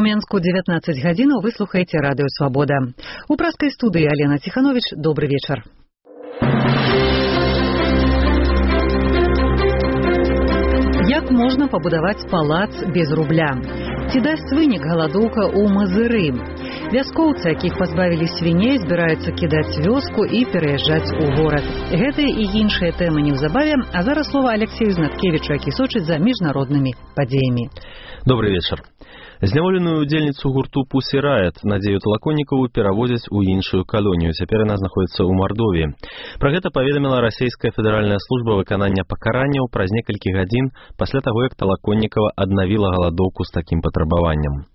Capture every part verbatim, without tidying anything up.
У Менску дзевятнаццаць гадзінаў вы слухаеце радыё «Свабода». У праскай студыі Алена Ціхановіч. Добры вечар. Як можна пабудаваць палац без рубля? Ці дасць вынік галадоўка ў Мазыры? Вяскоўцы, якіх пазбавілі свіней, збіраюцца кідаць вёску і пераязджаць у горад. Гэтыя і іншыя тэмы неўзабаве, а зараз слова Алексею Знаткевічу, які сочыць за міжнароднымі падзеямі. Добрый вечар. Зняволеную удзельніцу гурту Pussy Riot Надзею Талаконнікову перавозяць у іншую калонію. Цяпер яна знаходзіцца ў Мардовіі. Пра гэта паведаміла расійская федэральная служба выканання пакаранняў праз некалькі гадзін пасля таго, як Талаконнікова аднавіла галадоўку з такім патрабаваннем.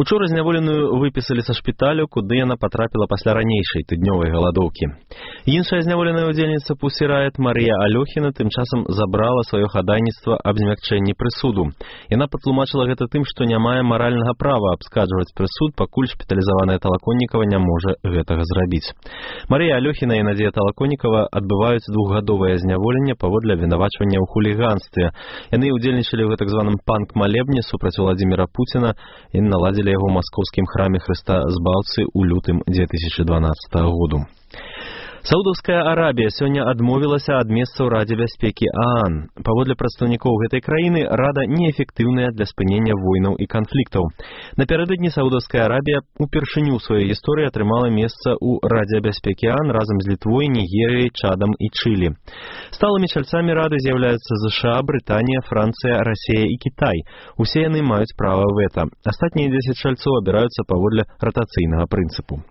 Учора зняволеную выпісалі са шпіталю, куды яна патрапіла пасля ранейшай тыднёвай галадоўкі. Іншая зняволеная удзельніца Pussy Riot Марія Алёхіна тым часам забрала сваё хадайніцтва аб змякчэнні прысуду. Яна патлумачыла гэта тым, што не мае маральнага права абскарджваць прысуд, пакуль шпіталізаваная Талаконнікова не можа гэтага зрабіць. Марія Алёхіна і Надзея Талаконнікова адбываюць двухгадовае зняволенне паводле абвінавачвання ў хуліганстве. Яны ўдзельнічалі ў так званым панк-малебне супраць Владзіміра Пуціна і наладзілі яго ў маскоўскім храме Хрыста Збаўцы ў лютым дзве тысячы дванаццатага году. Саудаўская Арабія сёння адмовілася ад месца ў Радзе бяспекі ААН. Паводле прадстаўнікоў гэтай краіны, Рада неэфектыўная для спынення войнаў і канфліктаў. Напярэдадні Саудаўская Арабія упершыню ў сваёй гісторыі атрымала месца ў Радзе бяспекі ААН разам з Літвой, Нігерыяй, Чадам і Чылі. Сталымі чальцамі Рады з'яўляюцца ЗША, Брытанія, Францыя, Расія і Кітай. Усе яны маюць права вэта. Астатнія дзесяць чальцоў абіраюцца паводле ратацыйнага прынцыпу.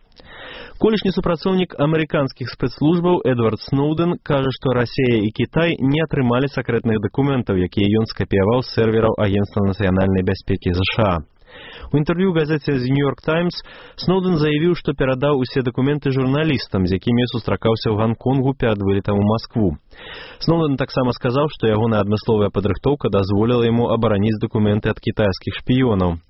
Колішні супрацоўнік амерыканскіх спецслужбаў Эдвард Сноуден кажа, што Расія і Кітай не атрымалі сакрэтных дакументаў, якія ён скапіяваў з сервераў Агенцтва нацыянальнай бяспекі ЗША. У інтэрв'ю газеце «The New York Times» Сноуден заявіў, што перадаў усе дакументы журналістам, з якімі сустракаўся ў Ганконгу перад вылетам у Маскву. Сноуден таксама сказаў, што ягоная адмысловая падрыхтоўка дазволіла яму абараніць дакументы ад кітайскіх шпіёнаў.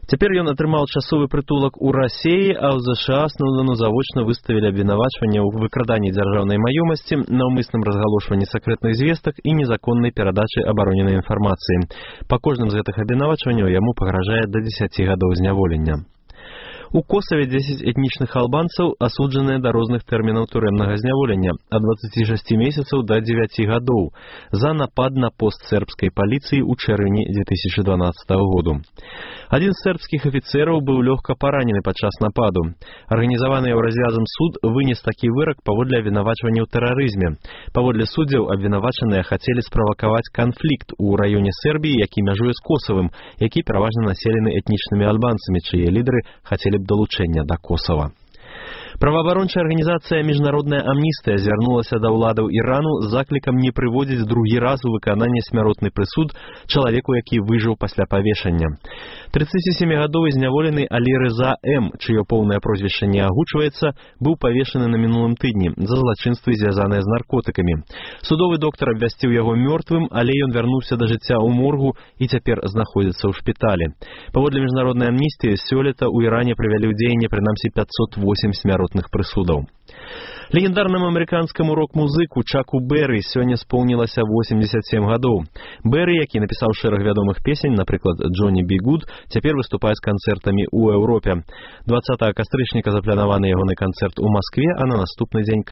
Цяпер ён атрымаў часовы прытулак у Расіі, а ў ЗША Сноудену завочна выставілі абвінавачванне ў выкраданні дзяржаўнай маёмасці, наўмысным разгалошванні сакрэтных звестак і незаконнай перадачы абароненай інфармацыі. Па кожным з гэтых абвінавачванняў яму пагражае да дзесяці гадоў зняволення. У Косаве дзесяць этнічных албанцаў асуджаныя да розных тэрмінаў турэмнага зняволення ад дваццаці шасці месяцаў да дзевяці гадоў за напад на пост сербскай паліцыі ў чэрвені дзве тысячы дванаццатага году. Адзін з сербскіх афіцэраў быў лёгка паранены падчас нападу. Арганізаваны еўразвязам суд вынес такі вырак паводле абвінавачвання ў тэрарызме. Паводле суддзяў абвінавачаныя хацелі справакаваць канфлікт у раёне Сербіі, які мяжуе з Косавым, які пераважна населены этнічнымі албанцамі, чые лідары хацелі б далучэння да Косава. Праваабарончая арганізацыя «Міжнародная амністыя» звярнулася да ўладаў Ірану з заклікам не прыводзіць другі раз у выкананне смяротны прысуд чалавеку, які выжыў пасля павешання. трыццацісемігадовы зняволены Алі Рыза М., чыё поўнае прозвішча не агучваецца, быў павешаны на мінулым тыдні за злачынствы, звязаныя з наркотыкамі. Судовы доктар абвясціў яго мёртвым, але ён вярнуўся да жыцця ў моргу і цяпер знаходзіцца ў шпіталі. Паводле міжнароднай амністыі, сёлета ў Іране прывялі ў дзеянне прынамсі пяцьсот восемь смяротных прысудаў. Легендарнаму амерыканскаму рок-музыку Чаку Бэры сёння споўнілася восемьдесят семь гадоў. Бэры, які напісаў шэраг вядомых песень, напрыклад, «Джонні Би Гуд», цяпер выступае з канцэртамі ў Еўропе. дваццатага кастрычніка запланаваны ягоны канцэрт у Маскве, а на наступны дзень